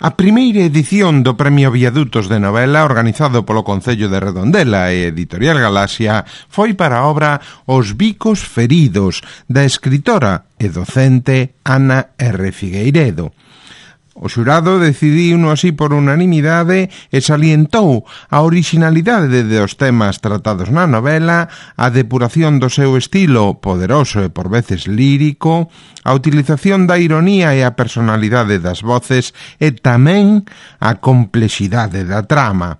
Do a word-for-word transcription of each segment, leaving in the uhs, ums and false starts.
A primeira edición do Premio Viadutos de Novela, organizado polo Concello de Redondela e Editorial Galaxia, foi para a obra Os bicos feridos, da escritora e docente Ana R. Figueiredo. O xurado decidiuno así por unanimidade e salientou a orixinalidade dos temas tratados na novela, a depuración do seu estilo poderoso e por veces lírico, a utilización da ironía e a personalidade das voces e tamén a complexidade da trama.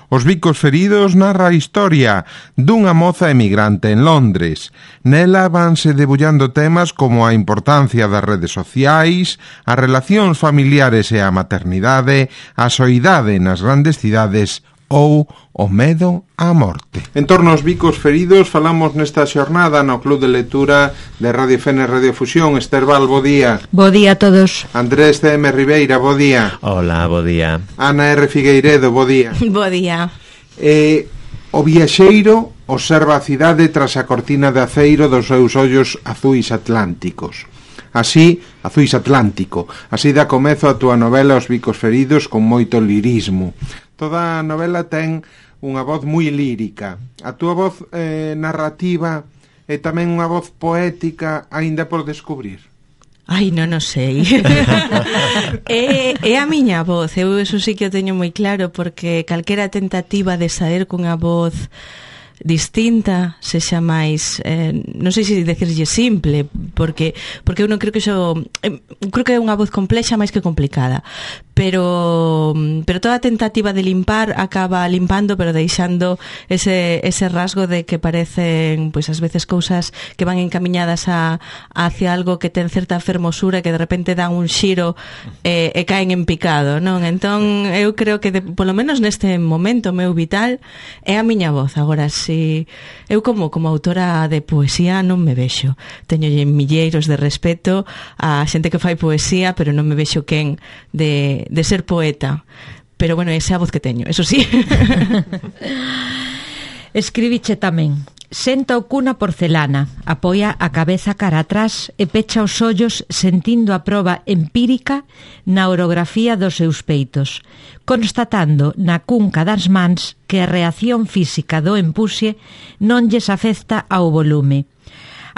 Os bicos feridos narra a historia dunha moza emigrante en Londres. Nela vanse debullando temas como a importancia das redes sociais, as relacións familiares e a maternidade, a soidade nas grandes cidades ou o medo á morte. En torno aos bicos feridos falamos nesta xornada no Club de Lectura de Radio Fene Radio Fusión. Esther Val, bo día. Bo día a todos. Andrés C M Ribeira, bo día. Hola, bo día. Ana R. Figueiredo, bo día. Bo día. Eh, o viaxeiro observa a cidade tras a cortina de aceiro dos seus ollos azuis atlánticos. Así, azuis atlántico, así dá comezo a túa novela Os bicos feridos con moito lirismo. Toda a novela ten unha voz moi lírica. A túa voz eh, narrativa é tamén unha voz poética aínda por descubrir. Ai, non o sei. é, é a miña voz. Eu eso sí que o teño moi claro, porque calquera tentativa de sair cunha voz distinta, sexa máis eh, non sei se decirlle simple, porque porque eu non creo que xo eh, creo que é unha voz complexa máis que complicada, pero pero toda tentativa de limpar acaba limpando, pero deixando ese ese rasgo de que parecen, pois ás veces cousas que van encamiñadas a hacia algo que ten certa fermosura, que de repente dan un xiro e, e caen en picado, non? Entón eu creo que de, polo menos neste momento meu vital é a miña voz. Agora, si eu como como autora de poesía non me vexo, teño milleiros de respeto a xente que fai poesía, pero non me vexo quen de de ser poeta, pero bueno, esa é a voz que teño, eso sí. Escribiche tamén: senta o cu na porcelana, apoia a cabeza cara atrás e pecha os ollos sentindo a proba empírica na orografía dos seus peitos, constatando na cunca das mans que a reacción física do empuxe non lles afecta ao volume.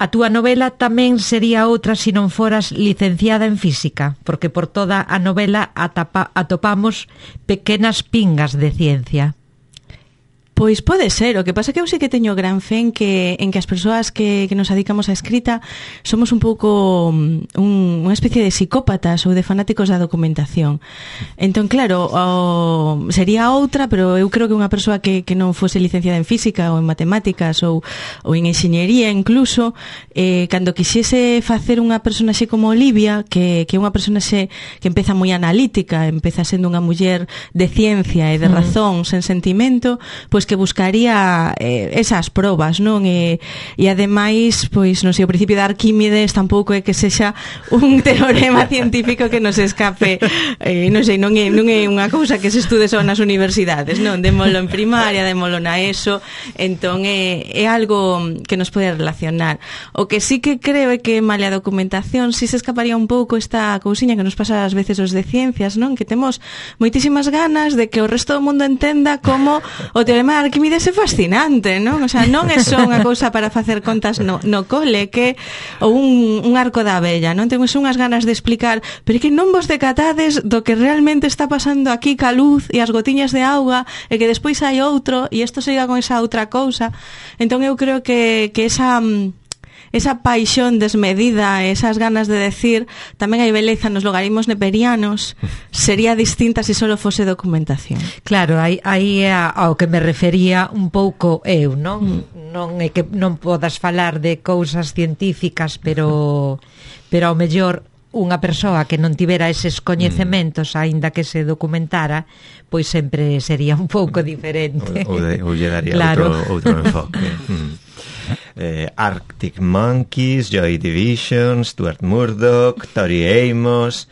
A túa novela tamén sería outra se non foras licenciada en física, porque por toda a novela atapa, atopamos pequenas pingas de ciencia. Pois pode ser, o que pasa que eu sí que teño gran fe en que, en que as persoas que, que nos dedicamos á escrita somos un pouco un, unha especie de psicópatas ou de fanáticos da documentación. Entón, claro, o, sería outra, pero eu creo que unha persoa que, que non fose licenciada en física ou en matemáticas ou, ou en enxeñería incluso, eh, cando quixese facer unha personaxe como Olivia, que, que é unha personaxe que empeza moi analítica, empeza sendo unha muller de ciencia e de razón, mm. sen sentimento, pois que buscaría eh, esas probas, non? E, e ademais, pois, non sei, o principio de Arquímedes tampouco é que sexa un teorema científico que nos escape, eh, non sei, non é, non é unha cousa que se estude só nas universidades, non? Démolo en primaria, démolo na ESO, entón é, é algo que nos pode relacionar. O que sí que creo é que male a documentación si se escaparía un pouco esta cousiña que nos pasa ás veces os de ciencias, non? Que temos moitísimas ganas de que o resto do mundo entenda como o teorema Arquímedes é fascinante, non? O sea, non é só unha cousa para facer contas no, no cole, que ou un, un arco da abella, non? Temos unhas ganas de explicar, pero é que non vos decatades do que realmente está pasando aquí ca luz e as gotiñas de auga, e que despois hai outro, e isto se liga con esa outra cousa. Entón eu creo que, que esa... esa paixón desmedida, esas ganas de decir tamén hai beleza nos logaritmos neperianos, sería distinta se solo fose documentación. Claro, aí, aí é ao que me refería un pouco eu, non? Mm. Non é que non podas falar de cousas científicas, pero pero ao mellor unha persoa que non tivera eses coñecementos, aínda que se documentara, pois sempre sería un pouco diferente. Ou, ou, de, ou lle daría claro. outro, outro enfoque. mm. eh, Arctic Monkeys, Joy Division, Stuart Murdoch, Tori Amos,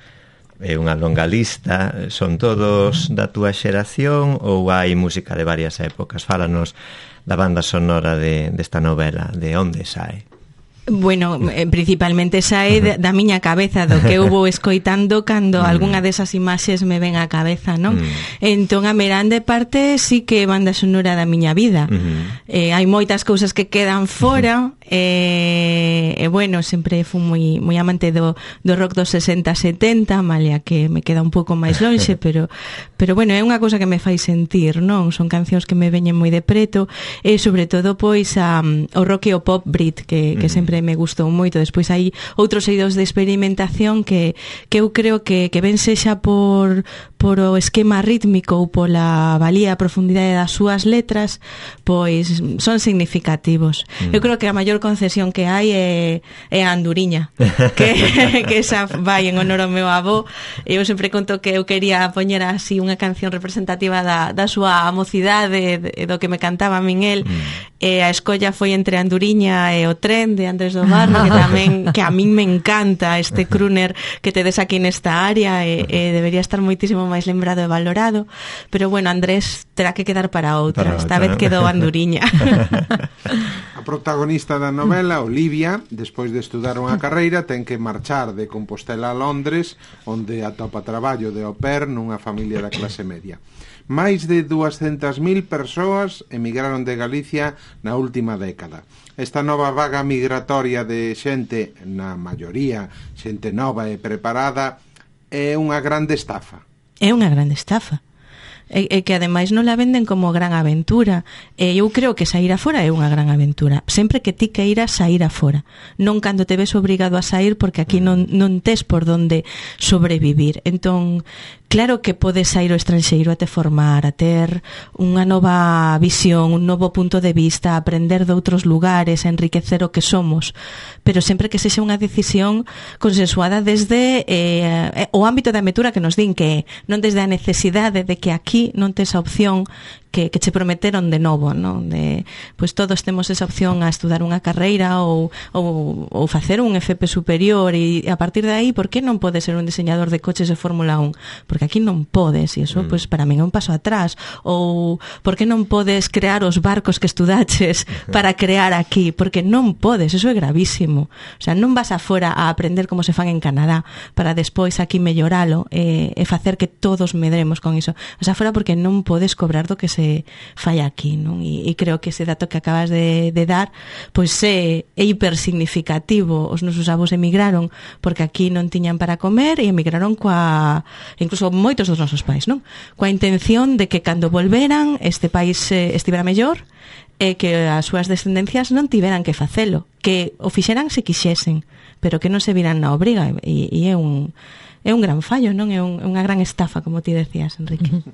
é unha longa lista. Son todos da túa xeración ou hai música de varias épocas? Fálanos da banda sonora de, desta novela, de onde sae? Bueno, eh, principalmente sae da, da miña cabeza, do que eu vou escoitando cando mm. algunha desas imaxes me ven á cabeza, non? Mm. Entón a grande parte sí que é banda sonora da miña vida. Mm. Eh, hai moitas cousas que quedan fora, mm. e, eh, eh, bueno, sempre fui moi moi amante do, do rock dos sesenta setenta, malia que me queda un pouco máis lonxe, pero pero bueno, é unha cousa que me fai sentir, non? Son cancións que me veñen moi de preto, e sobre todo pois a, o rock e o pop brit que, que mm. sempre me gustou moito. Despois hai outros eidos de experimentación que, que eu creo que, que ben sexa por, por o esquema rítmico ou pola valía a profundidade das súas letras, pois son significativos. Mm. Eu creo que a maior concesión que hai é, é a Anduriña, que, que esa vai en honor ao meu avó. Eu sempre conto que eu quería poñer así unha canción representativa da, da súa mocidade, de, do que me cantaba a min el, mm. e a escolla foi entre Anduriña e o Tren de Andrés do Barro, que tamén que a min me encanta este crooner que tedes aquí nesta área, e, e debería estar moitísimo máis lembrado e valorado, pero bueno, Andrés terá que quedar para outra, para esta outra, vez ¿no? Quedou Anduriña. A protagonista da novela, Olivia, despois de estudar unha carreira, ten que marchar de Compostela a Londres, onde atopa traballo de au pair nunha familia da clase media. Máis de duascentas mil persoas emigraron de Galicia na última década. Esta nova vaga migratoria de xente, na maioría xente nova e preparada, é unha grande estafa. É unha grande estafa. E, e que ademais non la venden como gran aventura. E eu creo que sair afora é unha gran aventura, sempre que ti queiras sair afora, non cando te ves obrigado a sair, porque aquí non, non tes por donde sobrevivir. Entón, claro que podes sair ao estranxeiro a te formar, a ter unha nova visión, un novo punto de vista, a aprender de outros lugares, a enriquecer o que somos, pero sempre que sexa unha decisión consensuada desde eh, o ámbito da metura que nos din, que non desde a necesidade de que aquí non tes a opción que, que che prometeron de novo, non? De, pois todos temos esa opción a estudar unha carreira ou, ou, ou facer un F P superior, e a partir de aí, por que non podes ser un diseñador de coches de Fórmula un? Porque aquí non podes, e iso, mm. pois, para min é un paso atrás. Ou por que non podes crear os barcos que estudaches para crear aquí? Porque non podes, eso é gravísimo. O sea, non vas afora a aprender como se fan en Canadá para despois aquí melloralo e, e facer que todos medremos con iso. Vas afora porque non podes cobrar do que se falla aquí, non? E, e creo que ese dato que acabas de, de dar, pois é, é hiper significativo. Os nosos avós emigraron porque aquí non tiñan para comer, e emigraron coa, incluso moitos dos nosos pais, non? Coa intención de que cando volveran este país eh, estivera mellor, e que as súas descendencias non tiveran que facelo, que o fixeran se quixesen, pero que non se viran na obriga, e, e é un é un gran fallo, non? É un, unha gran estafa, como ti decías, Enrique.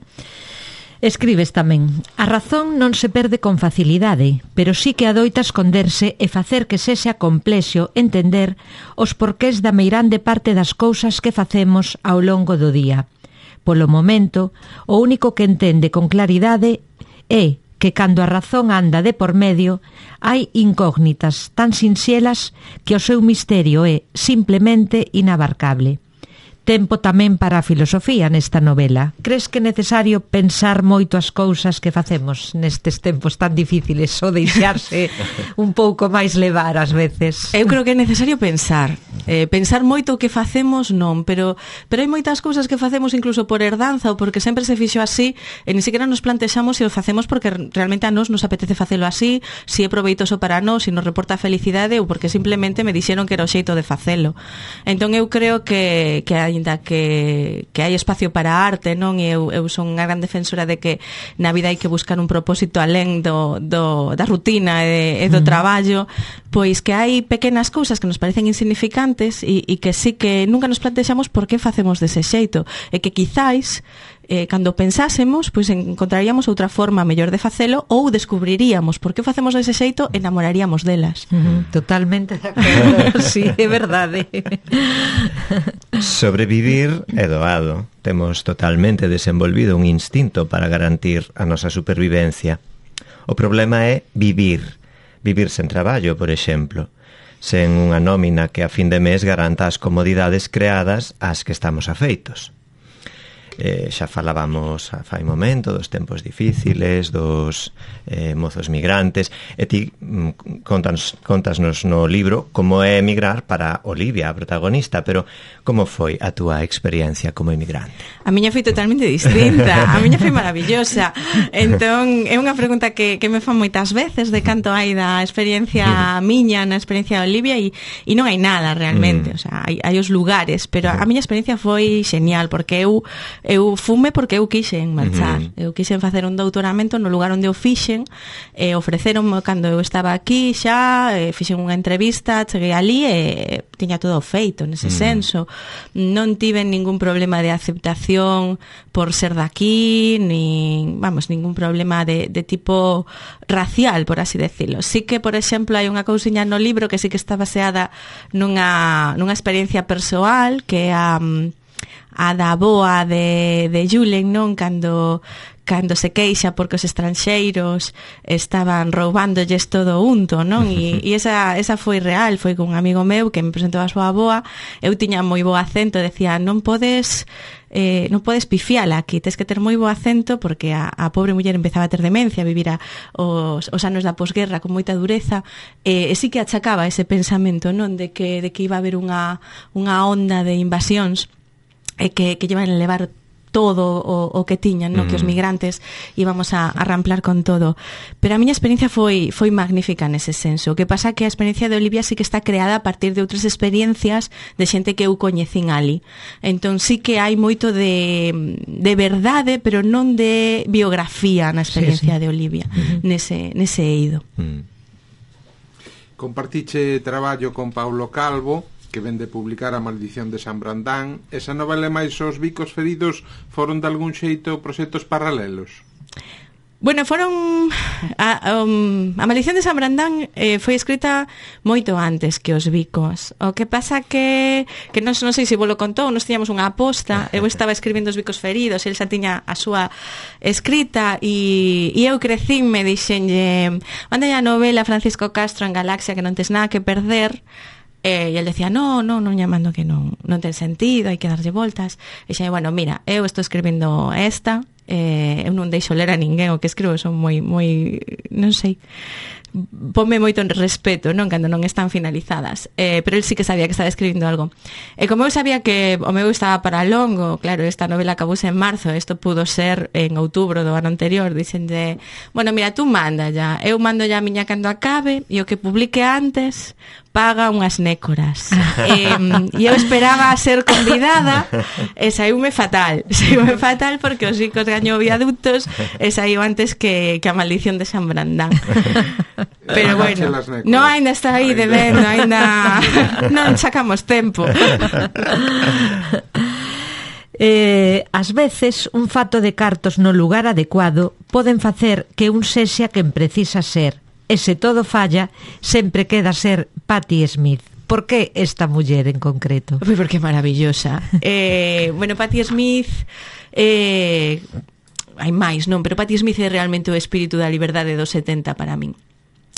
Escribes tamén: a razón non se perde con facilidade, pero sí que adoita esconderse e facer que sexa complexo entender os porqués da meirande parte das cousas que facemos ao longo do día. Polo momento, o único que entende con claridade é que cando a razón anda de por medio, hai incógnitas tan sinxelas que o seu misterio é simplemente inabarcable. Tempo tamén para a filosofía nesta novela. Crees que é necesario pensar moito as cousas que facemos nestes tempos tan difíciles, ou deixarse un pouco máis levar ás veces? Eu creo que é necesario pensar. Eh, pensar moito o que facemos non, pero pero hai moitas cousas que facemos incluso por herdanza ou porque sempre se fixo así, e ni siquiera nos plantexamos se o facemos porque realmente a nós nos apetece facelo así, se é proveitoso para nós, se nos reporta felicidade, ou porque simplemente me dixeron que era o xeito de facelo. Entón eu creo que, que hai ainda que, que hai espacio para a arte, non? E eu, eu son unha gran defensora de que na vida hai que buscar un propósito alén do, do, da rutina e, e do traballo, pois que hai pequenas cousas que nos parecen insignificantes e, e que sí que nunca nos plantexamos por que facemos dese xeito, e que quizáis eh, cando pensásemos, pois encontraríamos outra forma mellor de facelo, ou descubriríamos por que facemos dese xeito e enamoraríamos delas. Uh-huh. Totalmente de acordo. Sí, é verdade. Sobrevivir é doado. Temos totalmente desenvolvido un instinto para garantir a nosa supervivencia. O problema é vivir. Vivir sen traballo, por exemplo, sen unha nómina que a fin de mes garanta as comodidades creadas ás que estamos afeitos. eh, xa falábamos a fai momento dos tempos difíciles, dos eh, mozos migrantes, e ti mm, contas, contasnos no libro como é emigrar para Olivia, a protagonista, pero como foi a túa experiencia como emigrante? A miña foi totalmente distinta, a miña foi maravillosa. Entón, é unha pregunta que, que me fan moitas veces de canto hai da experiencia miña na experiencia de Olivia, e, e non hai nada realmente, mm. o sea, hai, hai os lugares, pero a miña experiencia foi genial, porque eu eu fume porque eu quixen marchar, uh-huh. eu quixen facer un doutoramento no lugar onde eu fixen, e ofreceronme cando eu estaba aquí xa, e fixen unha entrevista, cheguei ali e tiña todo feito nese uh-huh. senso, non tive ningún problema de aceptación por ser daqui, ni, vamos, ningún problema de, de tipo racial, por así decirlo. Sí que, por exemplo, hai unha cousiña no libro que sí que está baseada nunha, nunha experiencia persoal, que é a a da boa de, de Julen, non? Cando, cando se queixa porque os estranxeiros estaban roubándolles todo o unto, non? E, e esa, esa foi real, foi con un amigo meu que me presentou a súa boa, eu tiña moi bo acento, decía, non podes... Eh, non podes pifiala aquí, tens que ter moi bo acento, porque a, a pobre muller empezaba a ter demencia, a vivir a, os, os anos da posguerra con moita dureza, e, e sí que achacaba ese pensamento, non? De que, de que iba a haber unha, unha onda de invasións e que, que llevan a levar todo o, o que tiñan, no? Mm. Que os migrantes íbamos a, a ramplar con todo. Pero a miña experiencia foi foi magnífica nese senso. O que pasa que a experiencia de Olivia sí que está creada a partir de outras experiencias de xente que eu coñecín ali. Entón sí que hai moito de, de verdade, pero non de biografía na experiencia sí, sí. de Olivia, mm-hmm. nese, nese eido. Mm. Compartiche traballo con Paulo Calvo, que ven de publicar A maldición de San Brandán. Esa novela máis os bicos feridos foron de algún xeito proxectos paralelos? Bueno, foron... A, um, a maldición de San Brandán eh, foi escrita moito antes que os bicos. O que pasa que, que non, non sei se vos lo contou, nos tiñamos unha aposta, eu estaba escribindo os bicos feridos, el xa tiña a súa escrita, e, e eu crecínme, dixenlle, manda a novela Francisco Castro en Galaxia, que non tes nada que perder. E ele decía, no, no, non llamando, que non, non ten sentido, hai que darlle voltas. E xa, bueno, mira, eu estou escribindo esta, eh, eu non deixo ler a ninguén o que escribo, son moi, moi, non sei, ponme moito en respeto, non, cando non están finalizadas, eh, pero el sí que sabía que estaba escribindo algo, e como eu sabía que o meu estaba para longo, claro, esta novela acabouse en marzo, isto pudo ser en outubro do ano anterior, dicen de, bueno, mira, tú manda ya, eu mando ya a miña cando acabe, e o que publique antes paga unhas nécoras. E eu esperaba ser convidada e saíume fatal. Saíume fatal porque os ricos gañou viaductos e saíu antes que, que a maldición de San Brandán. Pero bueno, no, ainda está aí de vendo, ainda non sacamos tempo. Eh, ás veces un fato de cartos no lugar adecuado poden facer que un sexa quen precisa ser. E se todo falla, sempre queda ser Patti Smith. Por que esta muller en concreto? Pois porque é maravillosa. eh, bueno, Patti Smith... Eh, hai máis, non? Pero Patti Smith é realmente o espírito da liberdade dos setenta para min.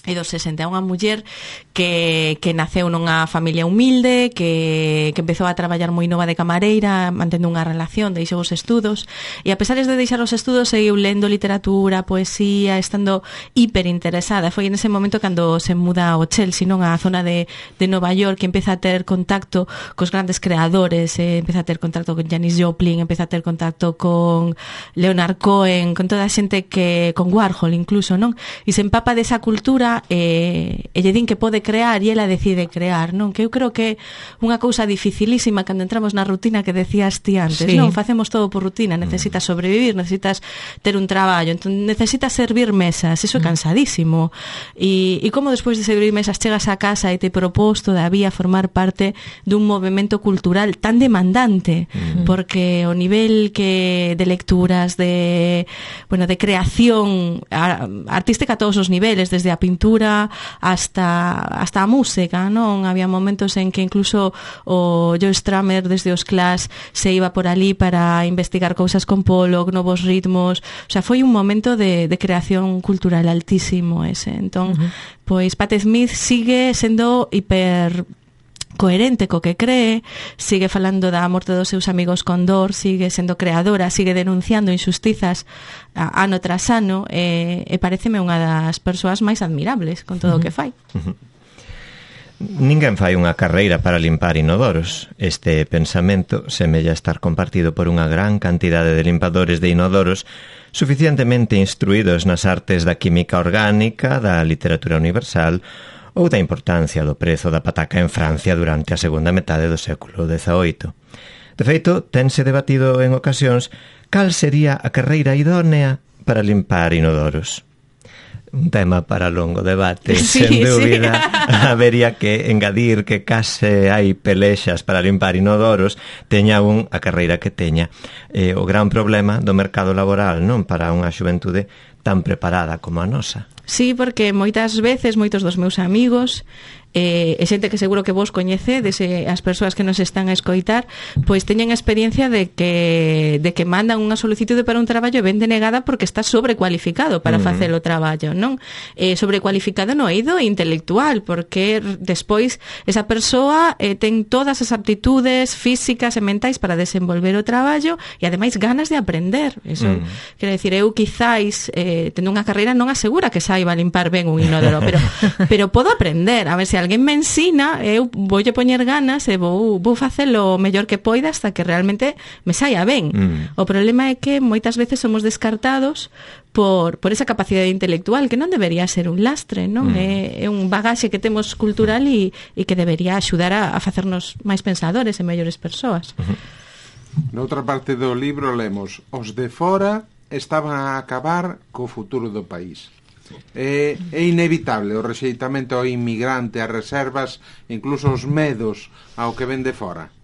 E dos sesenta, é unha muller que, que naceu nunha familia humilde, que, que empezou a traballar moi nova de camareira, mantendo unha relación, deixou os estudos, e a pesar de deixar os estudos, seguiu lendo literatura, poesía, estando hiperinteresada. Foi en ese momento cando se muda ao Chelsea, non, a zona de, de Nova York, que empeza a ter contacto cos grandes creadores, eh, empeza a ter contacto con Janis Joplin, empeza a ter contacto con Leonard Cohen, con toda a xente que, con Warhol incluso, non? E se empapa desa cultura, e, e lle din que pode crear e ela decide crear, non? Que eu creo que unha cousa dificilísima cando entramos na rutina que decías ti antes, sí. Non? Facemos todo por rutina, necesitas sobrevivir, necesitas ter un traballo, entón necesitas servir mesas, eso é cansadísimo. E, e como despois de servir mesas chegas a casa e te propós todavía formar parte dun movimento cultural tan demandante, mm. porque o nivel que de lecturas, de, bueno, de creación artística a todos os niveles, desde a pintura hasta hasta a música, non? Había momentos en que incluso o Joe Strummer desde os Clash se iba por ali para investigar cousas con Pollock, novos ritmos, o sea, foi un momento de, de creación cultural altísimo ese. Entón, uh-huh. pois Patti Smith sigue sendo hiper coherente co que cree, sigue falando da morte dos seus amigos con dor, sigue sendo creadora, sigue denunciando injustizas ano tras ano, e, e pareceme unha das persoas máis admirables con todo o que fai. Ninguén fai unha carreira para limpar inodoros. Este pensamento semella estar compartido por unha gran cantidade de limpadores de inodoros suficientemente instruídos nas artes da química orgánica, da literatura universal ou da importancia do prezo da pataca en Francia durante a segunda metade do século dezaoito. De feito, tense debatido en ocasións cal sería a carreira idónea para limpar inodoros. Un tema para longo debate, sí, sen dúbida. Sí. Habería que engadir que case hai pelexas para limpar inodoros, teña un a carreira que teña. Eh, o gran problema do mercado laboral, non, para unha xuventude tan preparada como a nosa. Sí, porque moitas veces, moitos dos meus amigos, eh, e xente que seguro que vos coñecedes, e as persoas que nos están a escoitar, pois teñen a experiencia de que de que mandan unha solicitude para un traballo e ven denegada porque está sobrecualificado para uh-huh. facer o traballo, non? Eh, sobrecualificado no eido intelectual, porque despois esa persoa eh, ten todas as aptitudes físicas e mentais para desenvolver o traballo e ademais ganas de aprender. Eso, uh-huh. quero dicir, eu quizáis eh, tendo unha carreira non asegura que saiba limpar ben un inodoro, pero pero podo aprender, a ver se alguén me ensina, eu voulle poñer ganas e vou, vou facelo o mellor que poida hasta que realmente me saia ben. Mm. O problema é que moitas veces somos descartados por, por esa capacidade intelectual que non debería ser un lastre, non? Mm. É, é un bagaxe que temos cultural e, e que debería axudar a, a facernos máis pensadores e mellores persoas. Uh-huh. Noutra parte do libro lemos: os de fora estaban a acabar co futuro do país. É, é inevitable o rexeitamento ao inmigrante, as reservas, incluso os medos ao que ven de fora.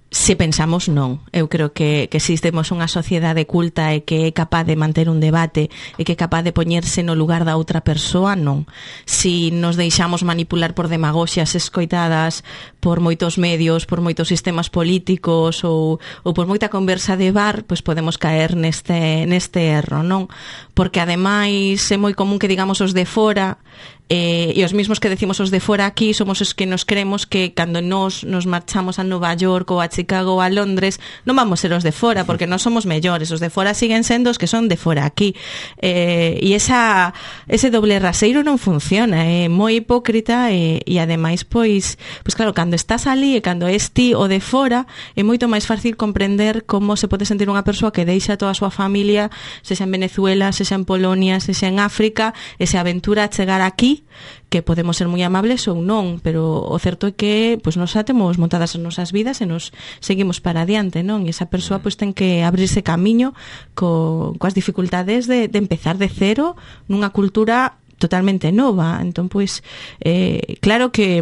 Se pensamos, non. Eu creo que, que existemos unha sociedade culta e que é capaz de manter un debate e que é capaz de poñerse no lugar da outra persoa, non. Si nos deixamos manipular por demagoxias escoitadas por moitos medios, por moitos sistemas políticos ou, ou por moita conversa de bar, pois podemos caer neste, neste erro, non? Porque ademais é moi común que digamos os de fora, Eh, e os mismos que decimos os de fora aquí somos os que nos creemos que cando nos nos marchamos a Nova York ou a Chicago ou a Londres non vamos ser os de fora porque non somos mellores, os de fora siguen sendo os que son de fora aquí, eh, e esa, ese doble raseiro non funciona, é moi hipócrita e, e ademais pois, pois claro, cando estás ali e cando és ti o de fora é moito máis fácil comprender como se pode sentir unha persoa que deixa toda a súa familia, sexa en Venezuela, sexa en Polonia, sexa en África, e se aventura a chegar aquí, que podemos ser moi amables ou non, pero o certo é que pois nos temos montadas as nosas vidas e nos seguimos para adiante, non? E esa persoa pois ten que abrirse camiño co, coas dificultades de, de empezar de cero nunha cultura totalmente nova. Entón, pois, eh, claro que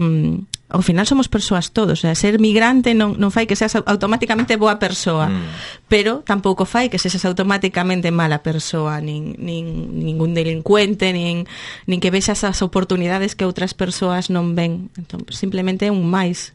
ao final somos persoas todos, o sea, ser migrante non, non fai que seas automáticamente boa persoa, mm. pero tampouco fai que seas automáticamente mala persoa, nin, nin ningún delincuente, nin, nin que vexas as oportunidades que outras persoas non ven. Entón, simplemente é un máis.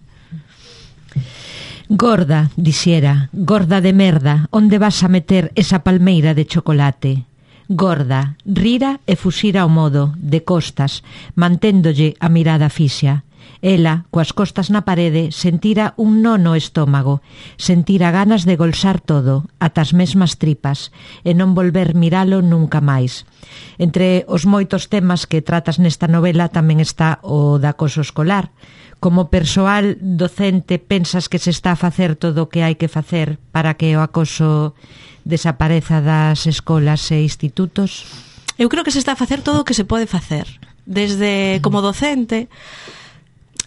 Gorda, dixera, gorda de merda, onde vas a meter esa palmeira de chocolate? Gorda, rira e fuxira ao modo, de costas, manténdolle a mirada fixa. Ela, coas costas na parede, sentira un nó no estómago, sentira ganas de golsar todo, ata as mesmas tripas, e non volver miralo nunca máis. Entre os moitos temas que tratas nesta novela tamén está o da acoso escolar. Como persoal docente, pensas que se está a facer todo o que hai que facer para que o acoso desapareza das escolas e institutos? Eu creo que se está a facer todo o que se pode facer. Desde como docente,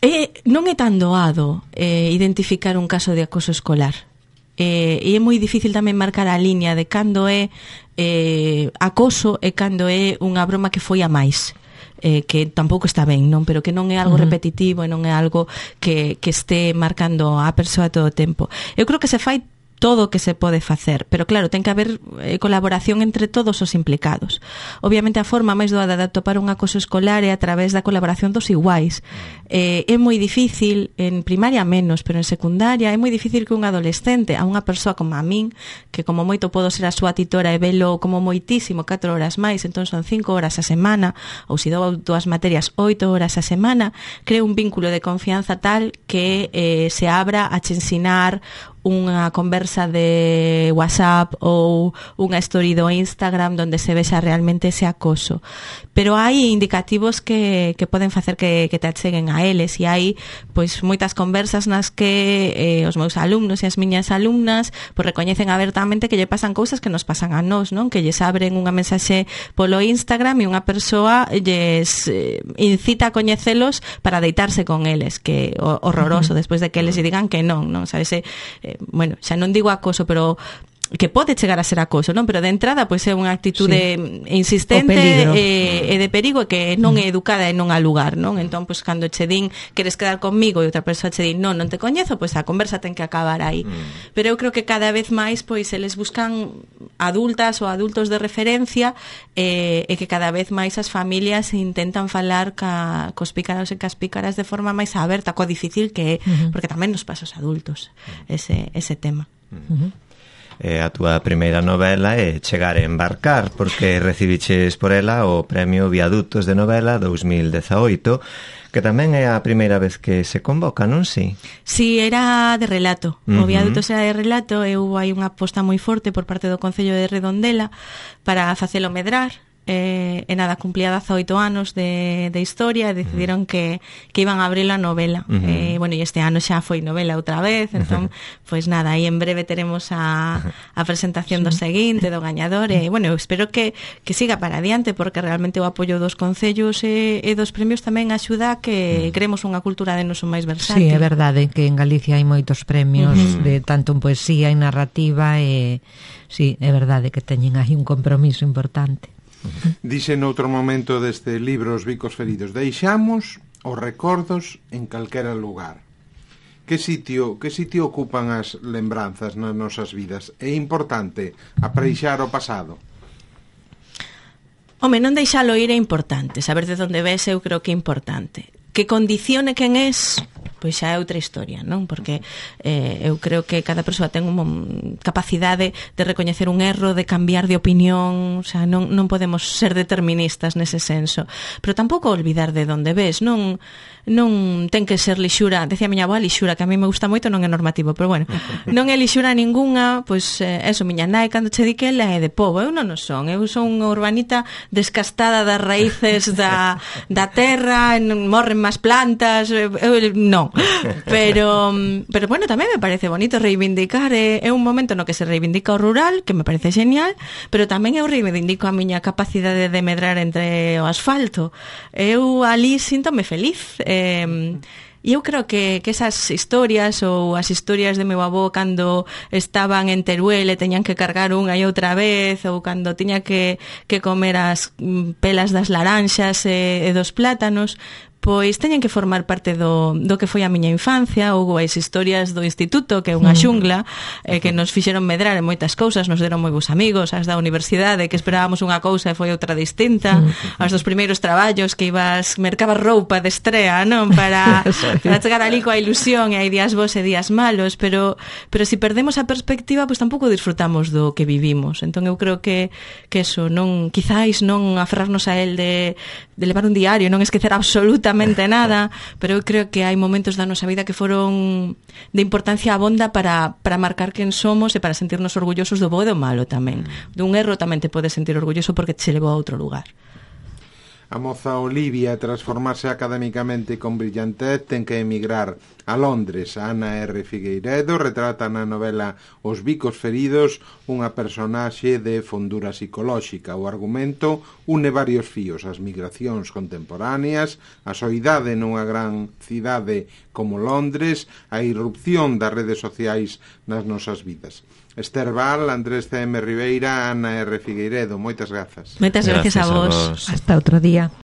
E non é tan doado eh, identificar un caso de acoso escolar. Eh, e é moi difícil tamén marcar a liña de cando é eh, acoso e cando é unha broma que foi a máis. Eh, que tampouco está ben, non, pero que non é algo uh-huh. repetitivo e non é algo que, que este marcando a persoa todo o tempo. Eu creo que se fai todo o que se pode facer, pero claro, ten que haber eh, colaboración entre todos os implicados. Obviamente a forma máis doada de atopar un acoso escolar é a través da colaboración dos iguais. Eh, é moi difícil, en primaria menos, pero en secundaria é moi difícil que un adolescente, a unha persoa como a min, que como moito podo ser a súa titora e velo como moitísimo catro horas máis, entón son cinco horas a semana, ou se dou dúas materias oito horas a semana, creo un vínculo de confianza tal que eh, se abra a che ensinar unha conversa de WhatsApp ou unha story do Instagram donde se vexa realmente ese acoso. Pero hai indicativos que, que poden facer que, que te acheguen a eles, e hai pois moitas conversas nas que eh, os meus alumnos e as miñas alumnas pois recoñecen abertamente que lle pasan cousas que nos pasan a nós, non? Que lles abren unha mensaxe polo Instagram e unha persoa lles eh, incita a coñecelos para deitarse con eles, que horroroso, despois de que eles lle digan que non, non? Sabes, eh, bueno, xa non digo acoso, pero que pode chegar a ser acoso, non? Pero de entrada pois é unha actitude sí. insistente e, e de perigo que non é educada e non há lugar, non? Entón, pois cando che din queres quedar conmigo e outra persoa che din non, non te coñezo, pois a conversa ten que acabar aí. Mm. Pero eu creo que cada vez máis pois eles buscan adultas ou adultos de referencia e, e que cada vez máis as familias intentan falar ca, cos pícaros e cas pícaras de forma máis aberta, co difícil que é, uh-huh. porque tamén nos pasa aos adultos ese, ese tema. Uh-huh. Eh, a túa primeira novela é Chegar e embarcar, porque recibiches por ela o Premio Viadutos de Novela dous mil dezaoito, que tamén é a primeira vez que se convoca, non si? Si, era de relato. Uh-huh. O Viadutos era de relato, e houve hai unha aposta moi forte por parte do Concello de Redondela para facelo medrar. Eh, e nada, cumplía dezaoito anos de, de historia e decidiron que, que iban a abrir a novela. Uh-huh. eh, bueno, e este ano xa foi novela outra vez, entón, uh-huh. pois nada, aí en breve teremos a, a presentación do seguinte, do gañador, e bueno, eu espero que, que siga para adiante, porque realmente o apoio dos concellos e, e dos premios tamén axuda a que uh-huh. creemos unha cultura de noso máis versátil. Sí, é verdade que en Galicia hai moitos premios uh-huh. de tanto en poesía e narrativa, e sí, é verdade que teñen aí un compromiso importante. Dixe noutro momento deste libro Os bicos feridos: deixamos os recordos en calquera lugar. Que sitio, que sitio ocupan as lembranzas nas nosas vidas? É importante apreixar o pasado? Home, non deixalo ir é importante. Saber de onde ves eu creo que é importante. Que condicione quen es, pois xa é outra historia, non? Porque eh, eu creo que cada persoa ten unha capacidade de recoñecer un erro, de cambiar de opinión, o sea, non, non podemos ser deterministas nese senso, pero tampouco olvidar de onde ves, non non ten que ser lixura, decía a miña avó, lixura, que a mí me gusta moito, non é normativo, pero bueno, non é lixura ningunha, pois eh, eso, miña nai cando che di que ela é de pobo, eu non o son, eu son unha urbanita descastada das raíces da, da terra, non morren máis plantas, eu, non, pero pero bueno, tamén me parece bonito reivindicar, é, é un momento no que se reivindica o rural, que me parece genial, pero tamén eu reivindico a miña capacidade de medrar entre o asfalto. Eu ali síntome feliz. Eh, e eu creo que, que esas historias ou as historias de meu avó cando estaban en Teruel e teñan que cargar unha e outra vez, ou cando tiña que, que comer as pelas das laranxas e, e dos plátanos, pois teñen que formar parte do, do que foi a miña infancia, ou as historias do instituto, que é unha xungla, eh, que nos fixeron medrar en moitas cousas, nos deron moi bons amigos, as da universidade, que esperábamos unha cousa e foi outra distinta, as dos primeiros traballos que ibas, mercabas roupa de estrea, non? Para, para chegar ali coa ilusión, e hai días bons e días malos, pero pero se si perdemos a perspectiva, pois tampouco disfrutamos do que vivimos. Entón eu creo que, que eso, non, quizáis non aferrarnos a el de, de levar un diario, non esquecer absolutamente nada, pero eu creo que hai momentos da nosa vida que foron de importancia abonda para, para marcar quen somos e para sentirnos orgullosos do bo e do malo tamén. Dun erro tamén te podes sentir orgulloso porque te levou a outro lugar. A moza Olivia, tras formarse académicamente con brillantez, ten que emigrar a Londres. Ana R. Figueiredo retrata na novela Os bicos feridos unha personaxe de fondura psicolóxica. O argumento une varios fíos: as migracións contemporáneas, a soidade nunha gran cidade como Londres, a irrupción das redes sociais nas nosas vidas. Esther Val, Andrés C M Ribeira, Ana R. Figueiredo, moitas grazas. Moitas gracias, gracias a vos. Hasta outro día.